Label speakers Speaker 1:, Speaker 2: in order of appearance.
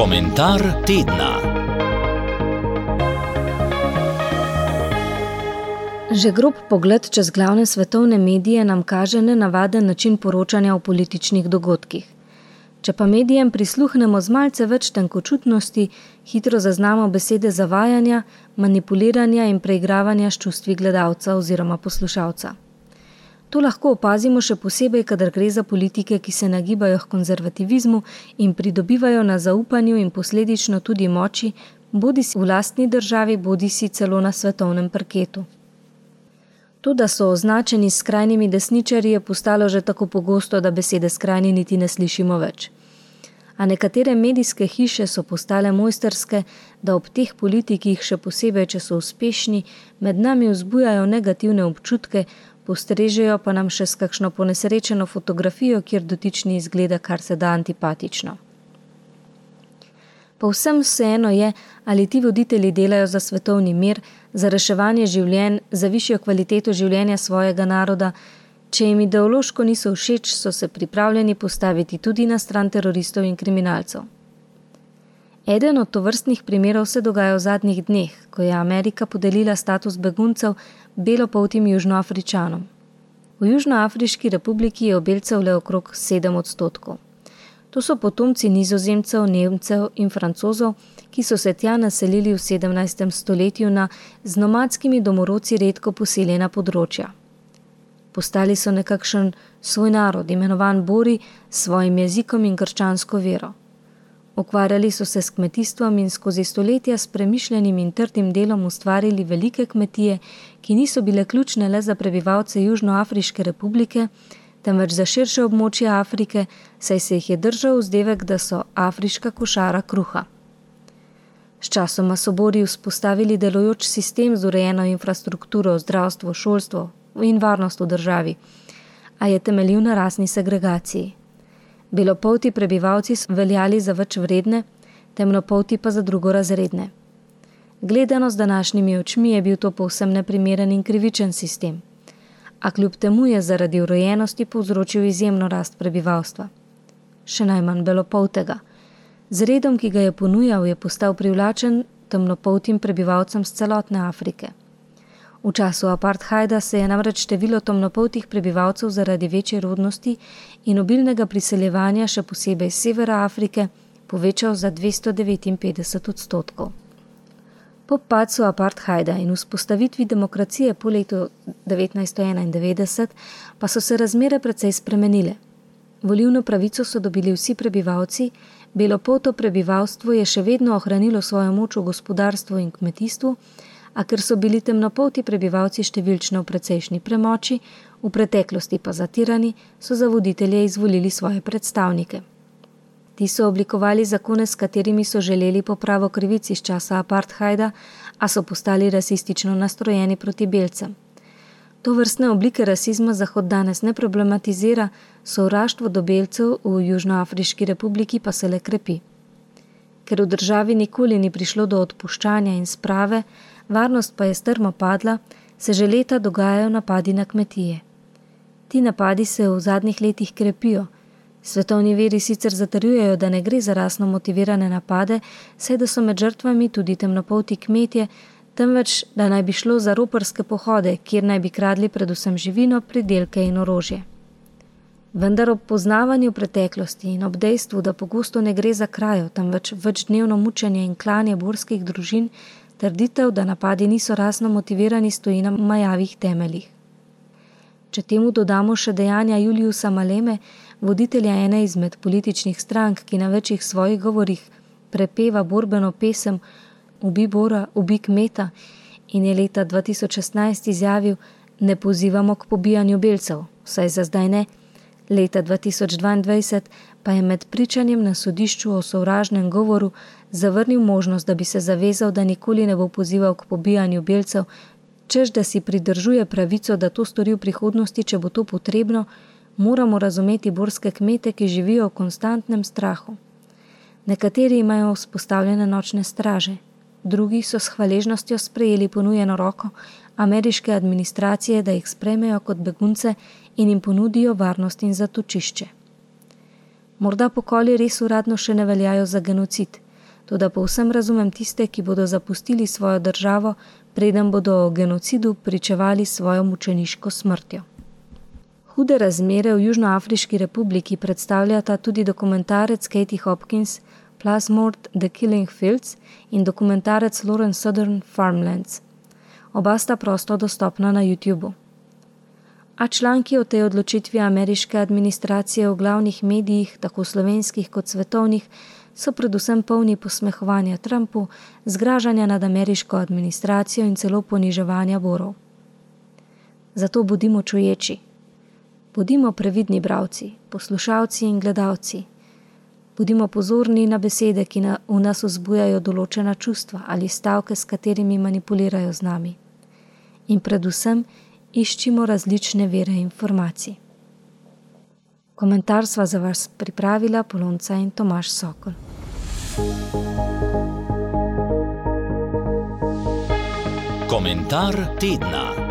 Speaker 1: Komentar tedna.
Speaker 2: Že grob pogled čez glavne svetovne medije nam kaže nenavaden način poročanja o političnih dogodkih. Če pa medijem prisluhnemo z malce več tenkočutnosti, hitro zaznamo besede zavajanja, manipuliranja in preigravanja s čustvi gledalca oziroma poslušalca. To lahko opazimo še posebej, kadar gre za politike, ki se nagibajo k konzervativizmu in pridobivajo na zaupanju in posledično tudi moči, bodisi v lastni državi, bodisi celo na svetovnem parketu. To, da so označeni s skrajnimi desničarji, je postalo že tako pogosto, da besede skrajni niti ne slišimo več. A nekatere medijske hiše so postale mojstrske, da ob teh politikih, še posebej, če so uspešni, med nami vzbujajo negativne občutke, postrežejo pa nam še s kakšno ponesrečeno fotografijo, kjer dotični izgleda kar se da antipatično. Povsem vseeno je, ali ti voditelji delajo za svetovni mir, za reševanje življenj, za višjo kvaliteto življenja svojega naroda. Če jim ideološko niso všeč, so se pripravljeni postaviti tudi na stran teroristov in kriminalcev. Eden od tovrstnih primerov se dogaja v zadnjih dneh, ko je Amerika podelila status beguncev belopoltim Južnoafričanom. V Južnoafriški republiki je belcev le okrog 7%. To so potomci Nizozemcev, Nemcev in Francozov, ki so se tja naselili v 17. stoletju na z nomadskimi domorodci redko poseljena področja. Postali so nekakšen svoj narod, imenovan Bori, s svojim jezikom in krščansko vero. Ukvarjali so se s kmetijstvom in skozi stoletja s premišljenim in trdim delom ustvarili velike kmetije, ki niso bile ključne le za prebivalce Južnoafriške republike, temveč za širše območje Afrike, saj se jih je držal vzdevek, da so afriška košara kruha. Sčasoma so Bori vzpostavili delujoč sistem z urejeno infrastrukturo, zdravstvo, šolstvo in varnost v državi, a je temeljil na rasni segregaciji. Belopolti prebivalci so veljali za več vredne, temnopolti pa za drugorazredne. Gledano z današnjimi očmi je bil to povsem neprimeren in krivičen sistem, a kljub temu je zaradi urejenosti povzročil izjemno rast prebivalstva. Še najmanj belopoltega. Z redom, ki ga je ponujal, je postal privlačen temnopoltim prebivalcem z celotne Afrike. V času apartheida se je namreč število temnopoltih prebivalcev zaradi večje rodnosti in obilnega priseljevanja, še posebej z severa Afrike, povečal za 259%. Po padcu apartheida in vzpostavitvi demokracije po letu 1991 pa so se razmere precej spremenile. Volilno pravico so dobili vsi prebivalci, belopolto prebivalstvo je še vedno ohranilo svojo moč v gospodarstvu in kmetijstvu, a ker so bili temnopolti prebivalci številčno v precejšnji premoči, v preteklosti pa zatirani, so za voditelje izvolili svoje predstavnike. Ti so oblikovali zakone, s katerimi so želeli popravo krivic iz časa apartheida, a so postali rasistično nastrojeni proti belcem. Tovrstne oblike rasizma Zahod danes ne problematizira, sovraštvo do belcev v Južnoafriški republiki pa se le krepi. Ker v državi nikoli ni prišlo do odpuščanja in sprave, varnost pa je strmo padla, se že leta dogajajo napadi na kmetije. Ti napadi se v zadnjih letih krepijo. Svetovni viri sicer zatrjujejo, da ne gre za rasno motivirane napade, saj da so med žrtvami tudi temnopolti kmetje, temveč da naj bi šlo za roparske pohode, kjer naj bi kradli predvsem živino, pridelke in orožje. Vendar ob poznavanju preteklosti in ob dejstvu, da pogosto ne gre za krajo, temveč večdnevno mučenje in klanje borskih družin, trditev, da napadi niso rasno motivirani, stoji na majavih temeljih. Če temu dodamo še dejanja Juliusa Maleme, voditelja ene izmed političnih strank, ki na večjih svojih govorih prepeva borbeno pesem Ubi Bora, ubi kmeta, in je leta 2016 izjavil: ne pozivamo k pobijanju belcev, vsaj za zdaj ne. Leta 2022 pa je med pričanjem na sodišču o sovražnem govoru zavrnil možnost, da bi se zavezal, da nikoli ne bo pozival k pobijanju belcev, češ da si pridržuje pravico, da to stori v prihodnosti, če bo to potrebno. Moramo razumeti borske kmete, ki živijo v konstantnem strahu. Nekateri imajo vzpostavljene nočne straže, drugi so s hvaležnostjo sprejeli ponujeno roko ameriške administracije, da jih sprejmejo kot begunce in jim ponudijo varnost in zatočišče. Morda pokoli res uradno še ne veljajo za genocid, toda povsem razumem tiste, ki bodo zapustili svojo državo, preden bodo o genocidu pričevali svojo mučeniško smrtjo. Hude razmere v Južnoafriški republiki predstavljata tudi dokumentarec Katie Hopkins Plasmord The Killing Fields in dokumentarec Lauren Southern Farmlands. Oba sta prosto dostopna na YouTubeu. A članki o tej odločitvi ameriške administracije v glavnih medijih, tako slovenskih kot svetovnih, so predvsem polni posmehovanja Trumpu, zgražanja nad ameriško administracijo in celo poniževanja borov. Zato bodimo čuječi. Bodimo previdni bralci, poslušalci in gledalci. Bodimo pozorni na besede, ki v nas vzbujajo določena čustva ali stavke, s katerimi manipulirajo z nami. In predvsem iščimo različne vire informacij. Komentar sva za vas pripravila Polonca in Tomaž Sokol.
Speaker 1: Komentar tedna.